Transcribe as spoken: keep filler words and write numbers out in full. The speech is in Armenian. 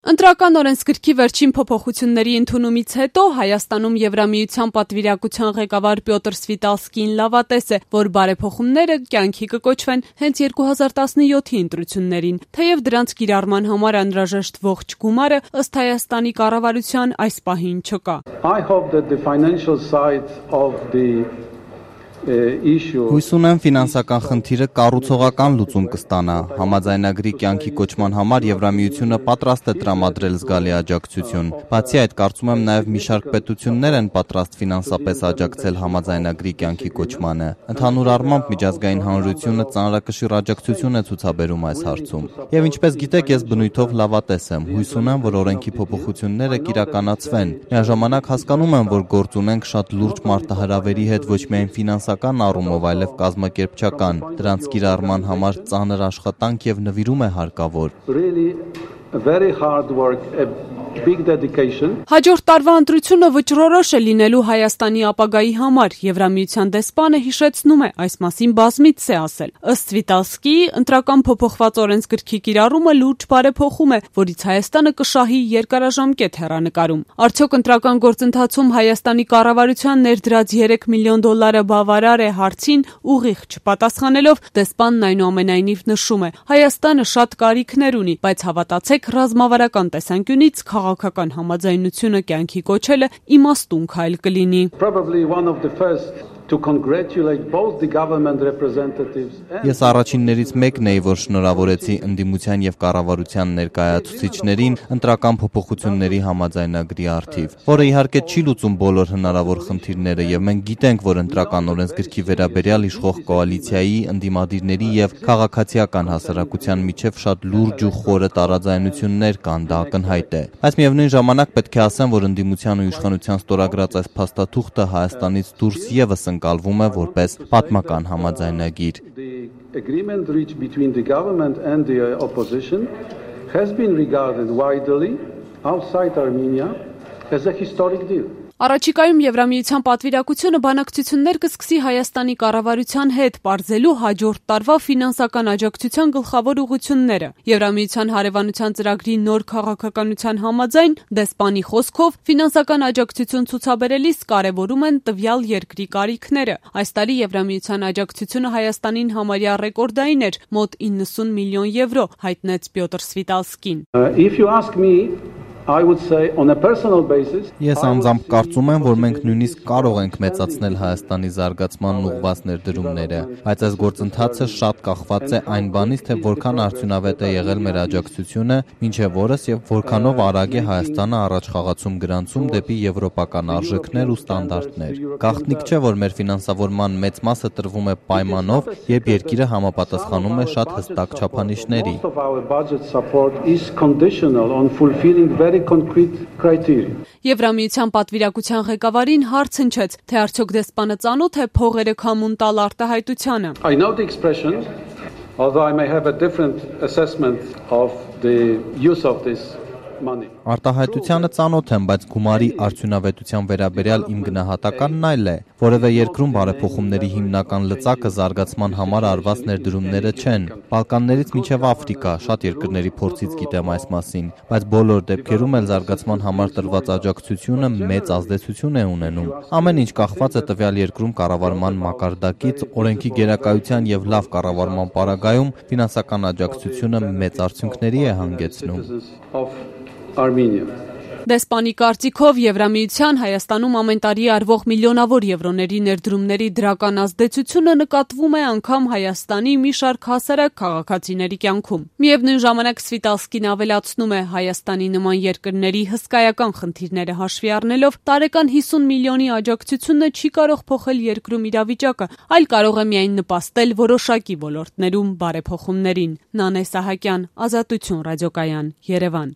Ընտրական օրենսգրքի վերջին փոփոխությունների ընդունումից հետո Հայաստանում Եվրամիության պատվիրակության ղեկավար Պյոտր Սվիտալսկին լավատես է, որ բարեփոխումները կյանքի կկոչվեն հենց երկու հազար տասնյոթի ընտրություններին, թեև դրանց կիրառման համար անհրաժեշտ ողջ գումարը ըստ Հայաստանի կառավարության այս պահին չկա։ I hope that the financial side of the Հույս ունեմ ֆինանսական խնդիրը կառուցողական լուծում կստանա։ Համաձայնագրի կյանքի կոչման համար Եվրամիությունը պատրաստ է տրամադրել զգալի աջակցություն։ Բացի այդ, կարծում եմ նաև մի շարք պետություններ են պատրաստ ֆինանսապես աջակցել համաձայնագրի կյանքի կոչմանը։ Ընդհանուր առմամբ միջազգային հանրությունը ծանրակշիռ աջակցություն է ցուցաբերում այս հարցում։ Եվ ինչպես գիտեք, ես բնույթով լավատես եմ։ Հույս ունեմ, որ օրենքի փոփոխությունները կիրականացվեն։ Միաժամանակ հասկանում եմ, որ գործ ունենք շատ լուրջ մարտահրավերի հետ ոչ միայն ֆինանսական առումով, այլև կազմակերպչական, դրանց կիրառման համար ծանր աշխատանք եւ նվիրում է հարկավոր։ Very hard work, a big dedication. Հաջորդ տարվա ընտրությունը վճռորոշ է լինելու Հայաստանի ապագայի համար, Եվրամիության դեսպանը հիշեցնում է, այս մասին բազմից է ասել։ Ըստ Սվիտալսկիի, ընտրական փոփոխված օրենսգրքի կիրառումը լուրջ բարեփոխում է, որից Հայաստանը կշահի երկարաժամկետ հեռանկարում։ Արդյոք ընտրական գործընթացում Հայաստանի կառավարության ներդրած երեք միլիոն դոլարը բավարար է հարցին ուղիղ չպատասխանելով, դեսպանն այնուամենայնիվ նշում է, Հայաստանը շատ կարիքներ ունի, բայց հավատացեք, ռազմավարական տեսանկյունից քաղաքական համաձայնությունը կյանքի կոչելը իմաստուն քայլ կլինի։ Probably one of the first to congratulate both the government representatives. Ես առաջիններից մեկն էի, որ շնորհավորեցի ընդդիմության եւ կառավարության ներկայացուցիչներին ընտրական փոփոխությունների համաձայնագրի առթիվ, որը իհարկե չի լուծում բոլոր հնարավոր խնդիրները, եւ մենք գիտենք, որ ընտրական օրենսգրքի վերաբերյալ իշխող կոալիցիայի, ընդդիմադիրների եւ քաղաքացիական հասարակության միջև շատ լուրջ ու խորը տարաձայնություններ կան, դա ակնհայտ է։ Բայց միևնույն ժամանակ պետք է ասեմ, որ ընդդիմության ու իշխանության ստորագրած այս փաստաթուղթը Հայաստանից դուրս եւս ընկալվում է որպես պատմական համաձայնագիր։ The agreement reached between the government and the opposition has been regarded widely outside Armenia as a historic deal. Առաջիկայում Եվրամիության պատվիրակությունը բանակցություններ կսկսի Հայաստանի կառավարության հետ, պարզելու հաջորդ տարվա ֆինանսական աջակցության գլխավոր ուղղությունները։ Եվրամիության հարևանության ծրագրի նոր քաղաքականության համաձայն, դեսպանի խոսքով, ֆինանսական աջակցություն ցուցաբերելիս կարևորում են տվյալ երկրի կարիքները։ Այս տարի Եվրամիության աջակցությունը Հայաստանին համարյա ռեկորդային էր՝ մոտ իննսուն միլիոն եվրո, հայտնեց Պյոտր Սվիտալսկին։ Uh, if you ask me, I would say on a personal basis. Ես անձամբ կարծում եմ, որ մենք նույնիսկ կարող ենք մեծացնել Հայաստանի զարգացմանն ուղղված ներդրումները, բայց այս գործընթացը շատ կախված է այն բանից, թե որքան արդյունավետ է եղել մեր աջակցությունը մինչև օրս եւ որքանով արագ է Հայաստանը առաջխաղացում գրանցում դեպի եվրոպական արժեքներ ու ստանդարտներ։ Գաղտնիք չէ, որ մեր ֆինանսավորման մեծ մասը տրվում է պայմանով, երբ երկիրը համապատասխանում է շատ հստակ չափանիշների։ Most of our budget support is conditional on fulfilling very concrete criteria. Եվրամիության պատվիրակության ղեկավարին հարց հնչեց, թե արդյոք դեսպանը ծանոթ է փողերը քամուն տալ արտահայտությանը։ I know the expression, although I may have a different assessment of the use of this money. Արտահայտությանը ծանոթ եմ, բայց գումարի արդյունավետության վերաբերյալ իմ գնահատականն այլ է։ Որևէ երկրում բարեփոխումների հիմնական լծակը զարգացման համար արված ներդրումները չեն։ Բալկաններից մինչև Աֆրիկա, շատ երկրների փորձից գիտեմ այս մասին, բայց բոլոր դեպքերում էլ զարգացման համար տրված աջակցությունը մեծ ազդեցություն է ունենում։ Ամեն ինչ կախված է տվյալ երկրում կառավարման մակարդակից, օրենքի գերակայության եւ լավ կառավարման պարագայում ֆինանսական աջակցությունը մեծ արդյունքների է հանգեցնում։ Armenia. Դեսպանի կարծիքով Եվրամիության Հայաստանում ամեն տարի արվող միլիոնավոր եվրոների ներդրումների դրական ազդեցությունը նկատվում է անգամ Հայաստանի մի շարք հասարակ քաղաքացիների կյանքում։ Միևնույն ժամանակ Սվիտալսկին ավելացնում է, Հայաստանի նման երկրների հսկայական խնդիրները հաշվի առնելով, տարեկան հիսուն միլիոնի աջակցությունը չի կարող փոխել երկրում իրավիճակը, այլ կարող է միայն նպաստել որոշակի ոլորտներում բարեփոխումներին։ Նանե Սահակյան, Ազատություն ռադիոկայան, Երևան։